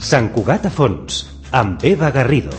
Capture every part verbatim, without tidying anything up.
Sant Cugat a fons, amb Eva Garrido.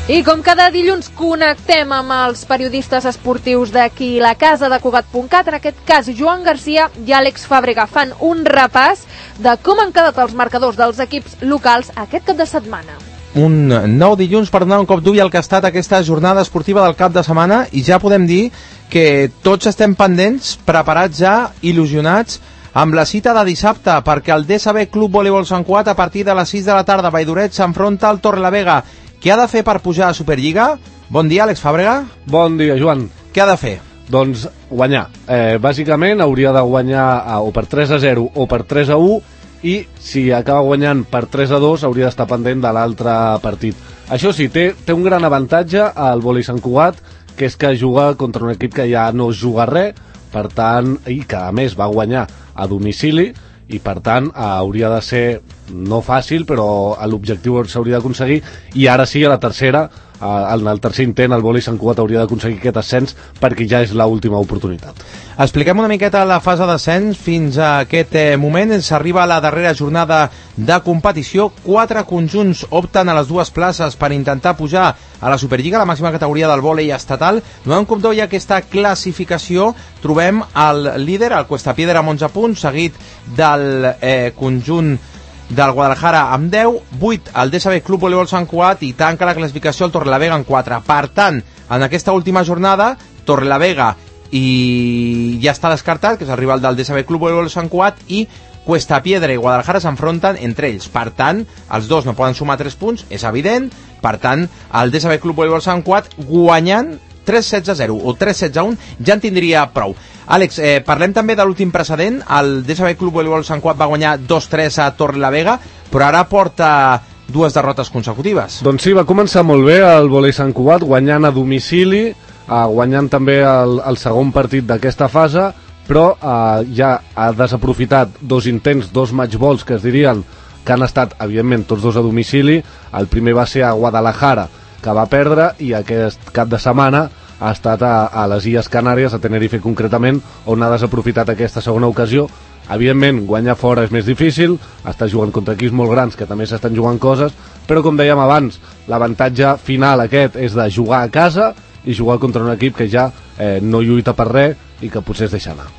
I com cada dilluns connectem amb els periodistes esportius d'aquí la casa de Cugat punt cat, en aquest cas Joan Garcia i Àlex Fàbrega fan un repàs de com han quedat els marcadors dels equips locals aquest cap de setmana. Un nou dilluns per donar un cop d'ull al que ha estat aquesta jornada esportiva del cap de setmana, i ja podem dir que tots estem pendents, preparats ja, il·lusionats amb la cita de dissabte, perquè el D S B Club Voleibol Sant Cugat a partir de les sis de la tarda a Valldoret s'enfronta al Torrelavega. Què ha de fer per pujar a Superliga? Bon dia, Àlex Fàbrega. Bon dia, Joan. Què ha de fer? Doncs guanyar. Eh, bàsicament hauria de guanyar eh, o per tres a zero o per tres a u, i si acaba guanyant per tres a dos hauria d'estar pendent de l'altre partit. Això sí, té, té un gran avantatge al Vòlei Sant Cugat, que és que juga contra un equip que ja no juga res, per tant, i que a més va guanyar a domicili, i per tant hauria de ser no fàcil, però l'objectiu s'hauria d'aconseguir, i ara sí, a la tercera, en el tercer intent, el Vòlei Sant Cugat hauria d'aconseguir aquest ascens, perquè ja és l'última oportunitat. Expliquem una miqueta la fase d'ascens fins a aquest eh, moment. S'arriba a la darrera jornada de competició. Quatre conjunts opten a les dues places per intentar pujar a la Superliga, la màxima categoria del vòlei estatal. Donant un cop d'ull a aquesta classificació, trobem el líder, el Cuestapiedra, amb onze punts, seguit del eh, conjunt del Guadalajara amb deu, vuit el D S B Club Voleibol Sant Cugat, i tanca la classificació el Torrelavega en quatre. Per tant, en aquesta última jornada, Torrelavega i ja està descartat, que és el rival del D S B Club Voleibol Sant Cugat, i Cuestapiedra i Guadalajara s'enfronten entre ells. Per tant, els dos no poden sumar tres punts, és evident. Per tant, el D S B Club Voleibol Sant Cugat guanyant tres setze zero o tres setze un ja en tindria prou. Àlex, eh, parlem també de l'últim precedent. El D S B Club Voleibol Sant Cugat va guanyar dos tres a Torrelavega, però ara porta dues derrotes consecutives. Doncs sí, va començar molt bé el Vòlei Sant Cugat, guanyant a domicili, eh, guanyant també el, el segon partit d'aquesta fase, però eh, ja ha desaprofitat dos intents, dos matchballs que es dirien, que han estat, evidentment, tots dos a domicili. El primer va ser a Guadalajara, que va perdre, i aquest cap de setmana ha estat a, a les Illes Canàries, a Tenerife concretament, on ha desaprofitat aquesta segona ocasió. Evidentment, guanyar fora és més difícil, està jugant contra equips molt grans que també s'estan jugant coses, però com dèiem abans, l'avantatge final aquest és de jugar a casa i jugar contra un equip que ja eh, no lluita per res i que potser es deixa anar.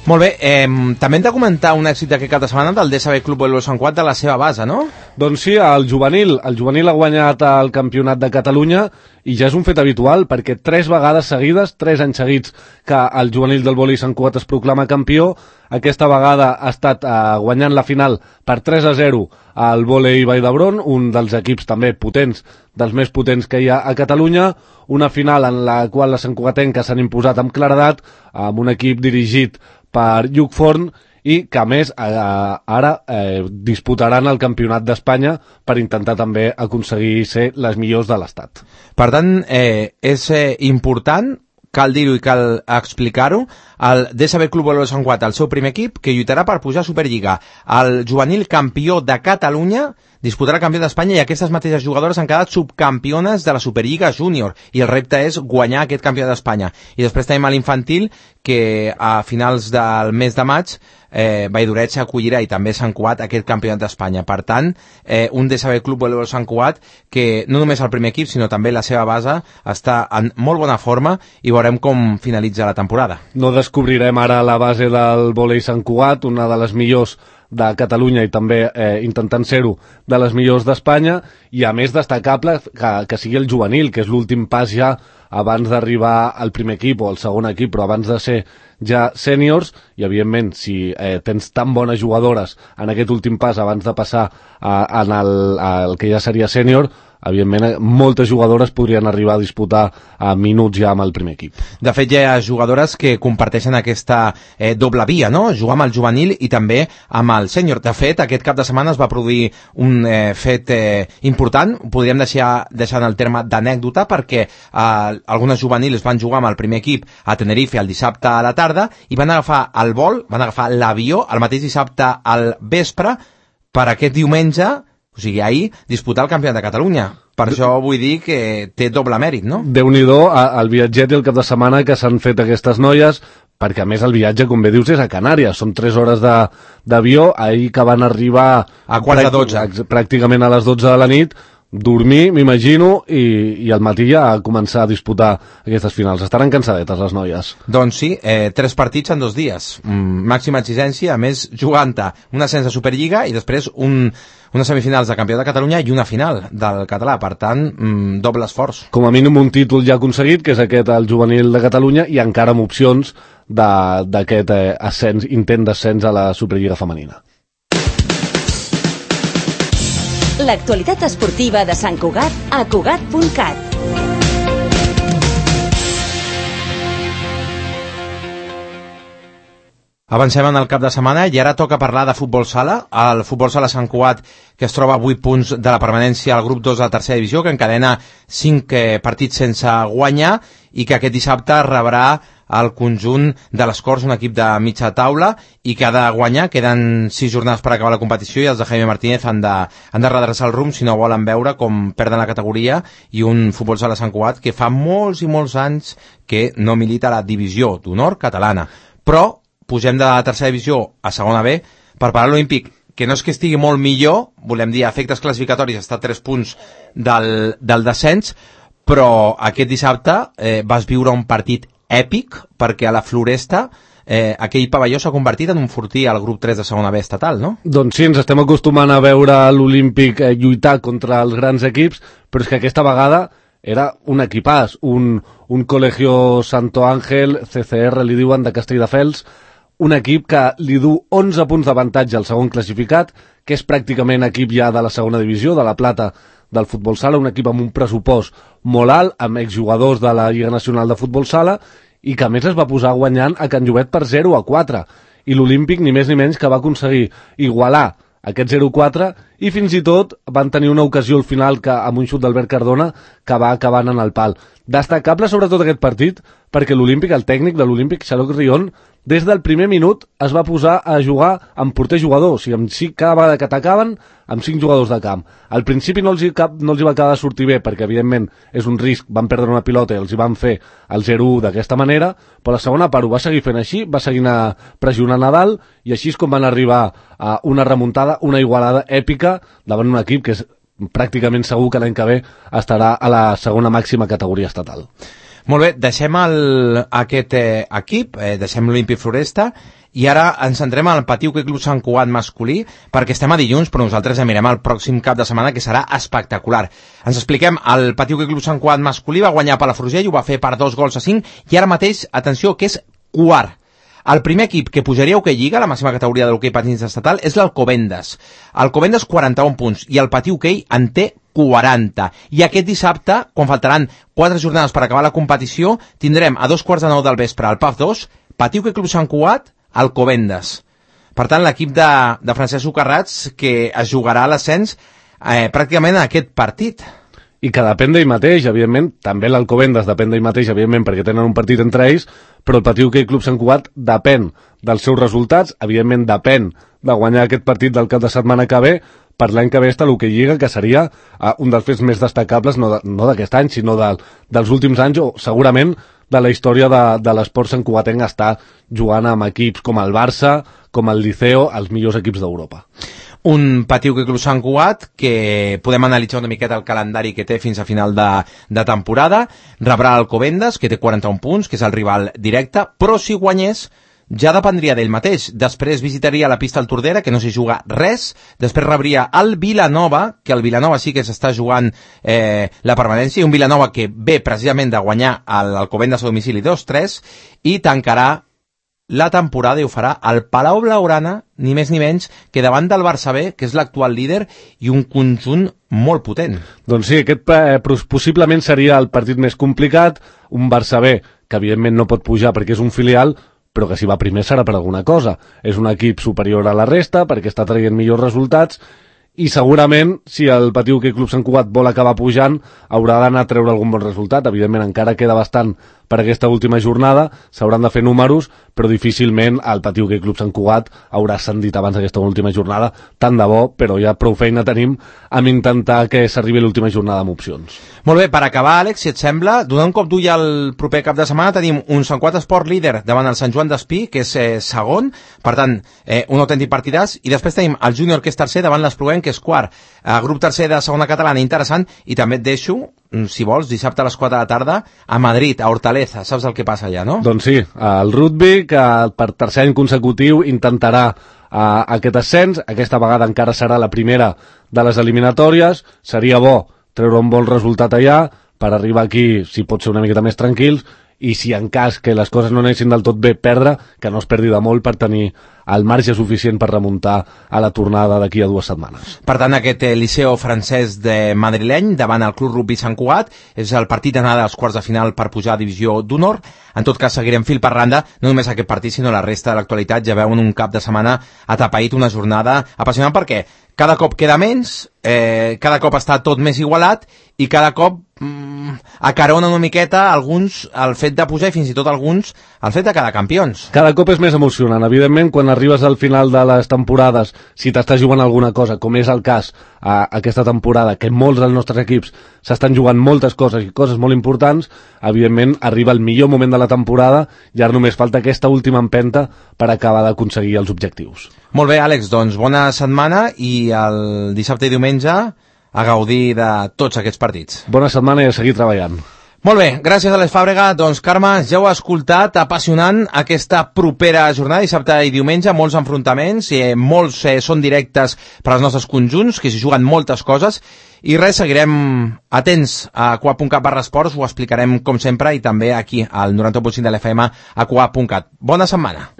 Molt bé, eh, també hem de comentar un èxit d'aquest cap de setmana del D S B Club Voleibol Sant Cugat de la seva base, no? Doncs sí, el juvenil. El juvenil ha guanyat el Campionat de Catalunya, i ja és un fet habitual, perquè tres vegades seguides, tres anys seguits, que el juvenil del Vòlei Sant Cugat es proclama campió. Aquesta vegada ha estat eh, guanyant la final per tres a zero al Vòlei Vall d'Hebron, un dels equips també potents, dels més potents que hi ha a Catalunya. Una final en la qual les santcugatenques s'han imposat amb claredat, amb un equip dirigit per Lluc Forn, i que a més eh, ara eh, disputaran el Campionat d'Espanya per intentar també aconseguir ser les millors de l'Estat. Per tant, eh, és eh, important, cal dir-ho i cal explicar-ho, el D S B Club Voleibol Sant Cugat, el seu primer equip, que lluitarà per pujar a Superliga. El juvenil campió de Catalunya disputarà el campió d'Espanya, i aquestes mateixes jugadores han quedat subcampiones de la Superliga Júnior, i el repte és guanyar aquest campió d'Espanya. I després tenim a l'infantil, que a finals del mes de maig eh, Valldoret s'acollirà, i també Sant Cugat, aquest campionat d'Espanya. Per tant, eh, un D S B Club Voleibol Sant Cugat que no només el primer equip, sinó també la seva base està en molt bona forma, i veurem com finalitza la temporada. No descobrirem ara la base del Vòlei Sant Cugat, una de les millors de Catalunya, i també eh, intentant ser-ho de les millors d'Espanya, i a més destacable que, que sigui el juvenil, que és l'últim pas ja abans d'arribar al primer equip o al segon equip, però abans de ser ja sèniors. I evidentment, si eh, tens tan bones jugadores en aquest últim pas abans de passar a, a el, al que ja seria sènior, evidentment moltes jugadores podrien arribar a disputar a minuts ja amb el primer equip. De fet, hi ha jugadores que comparteixen aquesta eh, doble via, no? Jugar amb el juvenil i també amb el sènior. De fet, aquest cap de setmana es va produir un eh, fet eh, important, podríem deixar, deixar en el terme d'anècdota, perquè eh, algunes juvenils van jugar amb el primer equip a Tenerife el dissabte a la tarda, i van agafar el vol, van agafar l'avió el mateix dissabte al vespre per aquest diumenge, o sigui, ahir, disputar el Campionat de Catalunya. Per això vull dir que té doble mèrit, no? Déu-n'hi-do el viatget i el cap de setmana que s'han fet aquestes noies, perquè a més el viatge, com bé dius, és a Canàries, són tres hores d'avió, ahir que van arribar a quart de dotze, pràcticament a les dotze de la nit, dormir, m'imagino, i, i al matí ja a començar a disputar aquestes finals. Estaran cansadetes les noies. Doncs sí, eh, tres partits en dos dies, mm, màxima exigència, a més jugant-te un ascens de Superliga i després un, unes semifinals de Campió de Catalunya i una final del català, per tant, mm, doble esforç. Com a mínim un títol ja aconseguit, que és aquest, el juvenil de Catalunya, i encara amb opcions d'aquest eh, ascens, intent d'ascens a la Superliga femenina. L'actualitat esportiva de Sant Cugat a Cugat punt cat. Avancem en el cap de setmana i ara toca parlar de futbol sala. El futbol sala Sant Cugat, que es troba a vuit punts de la permanència al grup dos de la tercera divisió, que encadena cinc eh, partits sense guanyar i que aquest dissabte rebrà el conjunt de les Corts, un equip de mitja taula, i que ha de guanyar. Queden sis jornades per acabar la competició i els de Jaime Martínez han de, han de redreçar el rumb si no volen veure com perden la categoria, i un futbol sala Sant Cugat que fa molts i molts anys que no milita a la divisió d'honor catalana. Però pugem de la tercera divisió a segona B per parar l'Olímpic, que no és que estigui molt millor, volem dir, a efectes classificatoris està a tres punts del, del descens, però aquest dissabte eh, vas viure un partit èpic, perquè a la Floresta eh, aquell pavelló s'ha convertit en un fortí al grup tres de segona B estatal, no? Doncs sí, ens estem acostumant a veure l'Olímpic eh, lluitar contra els grans equips, però és que aquesta vegada era un equipàs, un, un Colegio Santo Ángel, C C R li diuen, de Castelldefels, un equip que li du onze punts d'avantatge al segon classificat, que és pràcticament equip ja de la segona divisió, de la plata del futbol sala, un equip amb un pressupost molt alt, amb exjugadors de la Lliga Nacional de Futbol Sala, i que a més es va posar guanyant a Can Llobet per zero a quatre. I l'Olímpic ni més ni menys que va aconseguir igualar aquest zero a quatre, i fins i tot van tenir una ocasió al final que, amb un xut d'Albert Cardona que va acabant en el pal. Destacable sobretot aquest partit perquè l'Olímpic, el tècnic de l'Olímpic, Xaloc Rion, des del primer minut es va posar a jugar amb porter jugador, o sigui, amb cinc, cada vegada que atacaven, amb cinc jugadors de camp. Al principi no els, hi cap, no els hi va acabar de sortir bé, perquè evidentment és un risc, van perdre una pilota i els hi van fer el zero a u d'aquesta manera, però la segona part ho va seguir fent així, va seguir pressionant a dalt, i així és com van arribar a una remuntada, una igualada èpica davant un equip que és pràcticament segur que l'any que ve estarà a la segona màxima categoria estatal. Molt bé, deixem el, aquest eh, equip, eh, deixem l'Olímpic Floresta, i ara ens centrem al Patiu Club Sant Cugat masculí, perquè estem a dilluns, però nosaltres ja mirem el pròxim cap de setmana, que serà espectacular. Ens expliquem, el Patiu Club Sant Cugat masculí va guanyar per la Palafrugell, ho va fer per dos gols a cinc, i ara mateix, atenció, que és quart. El primer equip que pujaria a Hockey Lliga, la màxima categoria de l'hoquei patins estatal, és l'Alcobendas. Alcobendas quaranta-un punts i el Patiu Hockey en té quaranta. I aquest dissabte, quan faltaran quatre jornades per acabar la competició, tindrem a dos quarts de nou del vespre al P A F dos, Patiu Hockey Club Sant Cugat, Alcobendas. Per tant, l'equip de, de Francesc Socarrats que es jugarà a l'ascens eh, pràcticament en aquest partit. I que depèn d'ell mateix, evidentment, també l'Alcobendas depèn d'ell mateix, evidentment, perquè tenen un partit entre ells, però el Patiu Hockey Club Sant Cugat depèn dels seus resultats, evidentment depèn de guanyar aquest partit del cap de setmana que ve, per l'any que ve està l'Hockey Lliga, que seria uh, un dels fets més destacables, no d'aquest de, no any, sinó de, dels últims anys, o segurament de la història de, de l'esport santcugatenc, està jugant amb equips com el Barça, com el Liceo, els millors equips d'Europa. Un Patiu Club Sant Cugat que podem analitzar una miqueta el calendari que té fins a final de, de temporada. Rebrà l'Alcobendas, que té quaranta-un punts, que és el rival directe, però si guanyés ja dependria d'ell mateix. Després visitaria la pista al Tordera, que no s'hi juga res. Després rebria el Vilanova, que el Vilanova sí que s'està jugant eh, la permanència, i un Vilanova que ve precisament de guanyar l'Alcobendas a domicili dos tres, i tancarà la temporada i ho farà al Palau Blaugrana, ni més ni menys que davant del Barça B, que és l'actual líder, i un conjunt molt potent. Doncs sí, aquest eh, possiblement seria el partit més complicat, un Barça B que evidentment no pot pujar perquè és un filial, però que si va primer serà per alguna cosa. És un equip superior a la resta perquè està traient millors resultats, i segurament, si el Patiu Hockey Club Sant Cugat vol acabar pujant, haurà d'anar a treure algun bon resultat. Evidentment, encara queda bastant per aquesta última jornada, s'hauran de fer números, però difícilment el Patí Hoquei Club Sant Cugat haurà ascendit abans d'aquesta última jornada, tant de bo, però ja prou feina tenim amb intentar que s'arribi l'última jornada amb opcions. Molt bé, per acabar, Àlex, si et sembla, donant un cop d'ull al proper cap de setmana, tenim un Sant Cugat Esport líder davant el Sant Joan d'Espí, que és eh, segon, per tant, eh, un autèntic partidàs, i després tenim el Júnior, que és tercer, davant l'Espluguenc, que és quart. Eh, grup tercer de segona catalana, interessant, i també et deixo, si vols, dissabte a les quatre de la tarda, a Madrid, a Hortaleza. Saps el que passa allà, no? Doncs sí, el rugby, que per tercer any consecutiu intentarà uh, aquest ascens, aquesta vegada encara serà la primera de les eliminatòries, seria bo treure un bon resultat allà, per arribar aquí, si pot ser una miqueta més tranquils, i si en cas que les coses no anessin del tot bé, perdre, que no es perdi de molt per tenir el marge suficient per remuntar a la tornada d'aquí a dues setmanes. Per tant, aquest eh, Liceo francès de madrileny davant el Club Rugby Sant Cugat és el partit d'anada als quarts de final per pujar a Divisió d'Honor. En tot cas, seguirem fil per randa, no només aquest partit, sinó la resta de l'actualitat. Ja veuen un cap de setmana atapeït, una jornada apassionant, perquè cada cop queda menys, eh, cada cop està tot més igualat i cada cop mm, acarona una miqueta alguns el fet de pujar i fins i tot alguns el fet de quedar campions. Cada cop és més emocionant. Evidentment, quan arribes al final de les temporades, si t'estàs jugant alguna cosa, com és el cas a aquesta temporada, que molts dels nostres equips s'estan jugant moltes coses i coses molt importants, evidentment arriba el millor moment de la temporada i ara només falta aquesta última empenta per acabar d'aconseguir els objectius. Molt bé, Àlex, doncs bona setmana i el dissabte i diumenge a gaudir de tots aquests partits. Bona setmana i a seguir treballant. Molt bé, gràcies a Àlex Fàbrega. Doncs, Carme, ja ho ha escoltat, apassionant aquesta propera jornada, dissabte i diumenge, molts enfrontaments, eh, molts eh, són directes per als nostres conjunts, que s'hi juguen moltes coses, i res, seguirem atents a coa punt cat barra esports, ho explicarem com sempre, i també aquí al noranta u punt cinc de l'F M a coa punt cat. Bona setmana.